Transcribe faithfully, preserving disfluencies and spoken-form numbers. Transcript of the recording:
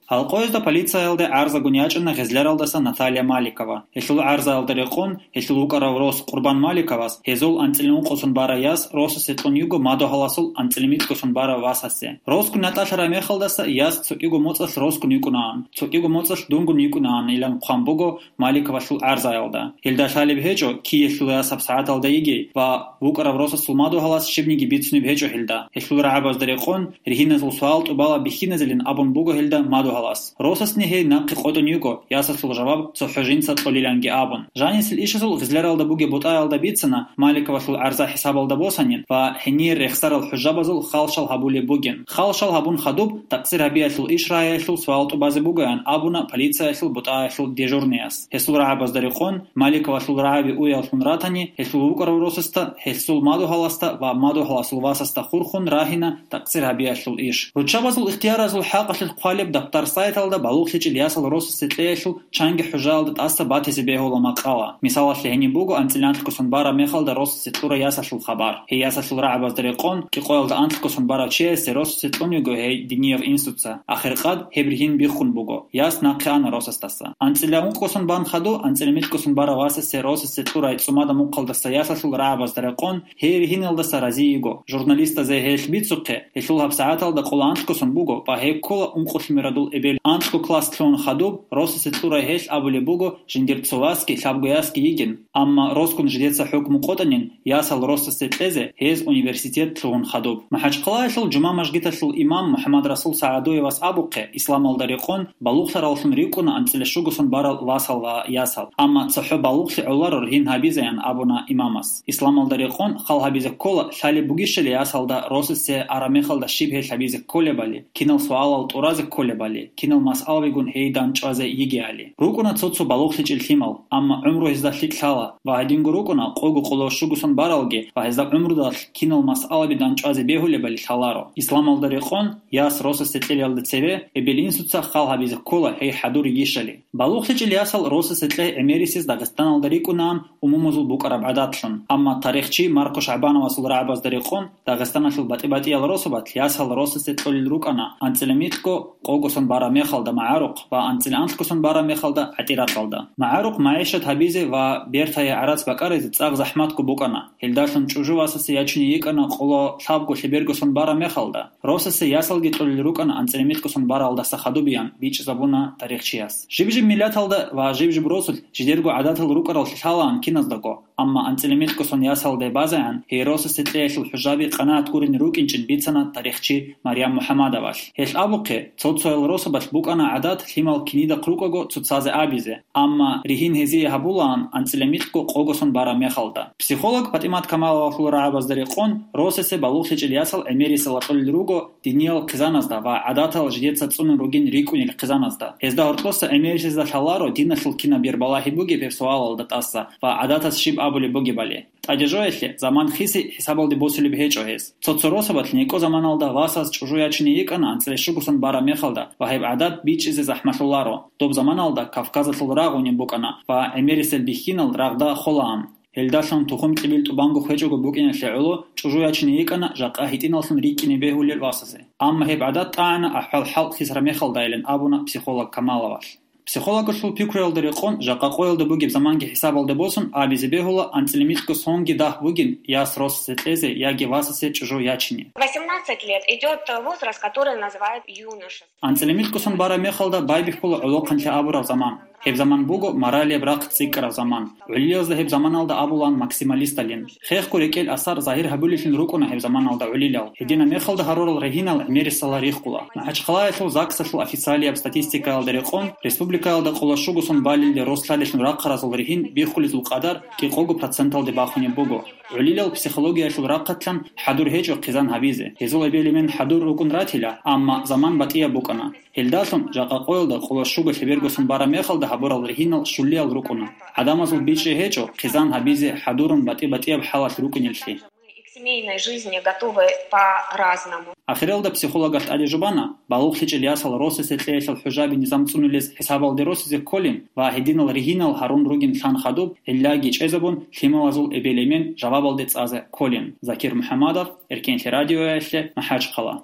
Гьалкъоязда полициялде гӀарзагун ячӀана Гъезляралдаса Наталья Маликова. Гьелъул гӀарзаялда рекъон, гьелъул вукӀарав рос Къурбан Маликовас гьезул анцӀила ункъосун барай яс росасе кьун йиго мадугьаласул анцӀила микьгосун барав васасе. Росгун натӀалъарай мехалдаса яс цо кӀиго моцӀалъ росгун йикӀунаан, цо кӀиго моцӀалъ дунгун йикӀунаан, илан хъван буго Маликовалъул гӀарзаялда. Гьелда лъалеб гьечӀо, киелъул ясаб сагӀаталда йигей ва вукӀарав росасул мадугьалас щибниги бицунеб гьечӀо гьелда. Гьелъул рагӀабазда рекъон, ригьиназул суал-тӀубала бихьиназилин абун буго гьелда мадугьалас. Росасни гьей нахъе къотӀун йиго, ясалъул жаваб цохӀо жинца кьолиланги абун. Жанисел ишазул Гъизляралда бугеб бутӀаялда бицана Маликовалъул гӀарза хӀисабалда босанин ва гьенир рехсарал хӀужабазул халшал гьабулеб бугин. Халшал гьабун хадуб, такъсир гьабиялъул иш рагӀиялъул суал-тӀубазе бугоян абуна полициялъул бутӀаялъул дежурнияс. Гьесул рагӀабазда рекъон, Маликовалъул рагӀаби уяллъун ратани, гьелъул вукӀарав росасда, гьесул мадугьаласда ва мадугьаласул васасда хурхун рагьина такъсир гьабиялъул иш. Руччабазул ихтияразул хӀакъалъулъ хъвалеб даптар сайталда балугълъичӀел ясал росасе кьеялъул чанги хӀужаялда тӀаса батизе бегьула макъала. Мисалалъе гьениб буго анцӀила анлъгосан бараб мехалда росасе кьурай ясалъул хабар. Гьей ясалъул рагӀабазда рекъон, кӀикъоялда анлъгосан барав чиясе росасе кьун йиго гьей динияб инсуца. Ахиркъад гьеб ригьин биххун буго. Яс нахъе ана росасдаса. АнцӀила ункъгосан бан хадув анцӀила микьгосан барав васасе росасе кьурай цӀумада мухъалдаса ясалъул рагӀабазда рекъон, гьей ригьиналдаса рази йиго. Журналистазе гьелъ бицухъе, гьелъул гьабсагӀаталда къоло анлъгосан буго ва гьей ккола ункъулъ мурадул эбел. Анлъго класс лъугьун хадуб, росасе кьурай гьелъ абулеб буго, жиндир цо васги лъабго ясги йигин, амма росгун жидеца хӀукму къотӀанин, ясал росасе кьезе гьез университет лъугьун хадуб. МахӀачхъалаялъул жума мажгиталъул имам МухӀаммадрасул СагӀадуевас абухъе, исламалда рекъон балугълъаравлъун рикӀкӀуна анцӀила щугосан барал васал ва ясал. Амма цохӀо балугълъи гӀоларо ригьин гьабизеян абуна имамас. Исламалда рекъон хал гьабизе ккола, лъалеб бугищали ясалда росасе араб мехалда щиб гьелъ гьабизе кколебали, кинал суалал тӀуразе кколебали, кинал масъалабигун гьей дандчӀвазе йигеали. РукӀуна цо-цо балугълъичӀел лъимал, амма гӀумру гьезда лъикӀ лъала ва гьединго рукӀуна къого къоло щугосан баралги ва гьезда гӀумрудалъ кинал масъалаби дандчӀвазе бегьулебали лъаларо. Исламалда рекъон, яс росасе кьелиялда цебе эбел-инсуца хал гьабизе ккола гьей хӀадур йигищали. БалугълъичӀел ясал росасе кьей гӀемерисез Дагъистаналда рикӀкӀунаан умумузул букӀараб гӀадатлъун. Амма тарихчи Марко ШагӀбановасул рагӀабазда рекъон, Дагъистаналъул батӀи-батӀиял росабалъ ясал росасе кьолел рукӀана анцӀила микьго къогосан бараб мехалда магӀарухъ ва анцӀила анлъгосан бараб мехалда гӀатӀиракъалда. МагӀарухъ магӀишат гьабизе ва бертае гӀарац бакӀаризе цӀакъ захӀматго букӀана. Гьелдалъун чӀужу васасе ячине йикӀана къоло лъабго лъебергосан бараб мехалда. Росасе ясалги кьолел рукӀана анцӀила микьгосан баралдаса хадубиян, бичӀчӀизабуна тарихчияс. Жиб-жиб миллаталда ва жиб-жиб росулъ жидерго гӀадатал рукӀарал лъалаан киназдаго, амма анцӀила микьгосан ясалде базегӀан гьей росасе кьеялъул хӀужаби къанагӀат гурин рукӀинчӀин бицана тарихчи Марьям МухӀаммадовалъ. Гьелъ абухъе, цо-цоял росабалъ букӀана гӀадат лъимал кинидахъ рукӀаго цоцазе абизе, амма ригьин гьезие гьабулаан анцӀила микьго къогосан бараб мехалда. Психолог ПатӀимат Камаловалъул рагӀабазда рекъон, росасе балугълъичӀел ясал гӀемерисел кьолел руго диниял хъизаназда ва гӀадатал жидеца цӀунун ругин рикӀкӀунел хъизаназда. Гьезда гьоркьоса гӀемерисезда лъаларо диналъул кинаб бербалагьи бугеб гьеб суалалда тӀаса ва гӀадатас щиб абулеб бугебали. ТӀаде жоялъе, заман хиси хӀисабалде босулеб гьечӀо гьес. Цо-цо росабалъ некӀо заманалда васас чӀужу ячине йикӀана анцӀила щугосан бараб мехалда ва гьеб гӀадат бичӀчӀизе захӀмалъуларо. Доб заманалда Кавказалъул рагъ гьуниб букӀана ва гӀемерисел бихьинал рагъда холаан. Гьелдалъун тухум-кьибил тӀубанго хвечӀого букӀиналъе гӀоло чӀужу ячине йикӀана жакъа гьитӀиналлъун рикӀкӀине бегьулел васасе. Амма гьеб гӀадат тӀагӀана ахӀвал-хӀал хисараб мехалдайилан абуна психолог Камаловалъ. Психологалъул пикруялда рекъон, жакъа къоялда бугеб заманги хӀисабалде босун, абизе бегьула анцӀила микьго сонги дагь бугин яс росасе кьезе яги васасе чӀужу ячине. Восемнадцать лет идёт возраст, который называют юношество. АнцӀила микьгосан бараб мехалда байбихьула гӀолохъанлъи абураб заман. Гьеб заман буго моралияб рахъ цӀикӀкӀараб заман. ГӀолилазда гьеб заманалда абулаан максималисталин. Хехго рекӀел асар загьир гьабулеллъун рукӀуна гьеб заманалда гӀолилал. Гьединаб мехалда гьарурал ригьинал гӀемерисела риххула. МахӀачхъалаялъул ЗАГСалъул официалияб статистикаялда рекъон, республикаялда къоло щугосан балелде рос лъалелъун рахъаразул ригьин биххулезул къадар кӀикъого проценталде бахунеб буго. ГӀолилал психологиялъул рахъалъан хӀадур гьечӀо хъизан гьабизе. Гьезул эбел-эмен хӀадур рукӀун ратила, амма заман батӀияб букӀана. Гьелдалъун жакъа къоялда къоло щуго лъебергосан бараб мехалда гьабурал ригьинал щулиял рукӀуна. ГӀадамазул бичӀчӀи гьечӀо хъизан гьабизе хӀадурун батӀи-батӀияб хӀалалъ рукӀинеллъи. К семейной жизни готовы по-разному. Ахиралда психологалъ тӀаде жубана, балугълъичӀел ясал росасе кьеялъул хӀужаби низам цӀунулез хӀисабалде росизе кколин ва гьединал ригьинал гьарун ругин лъан хадуб, гӀиллаги чӀезабун, лъималазул эбел-эмен жавабалде цӀазе кколин. Закир МухӀаммадов, Эркенлъи радиоялъе, МахӀачхъала.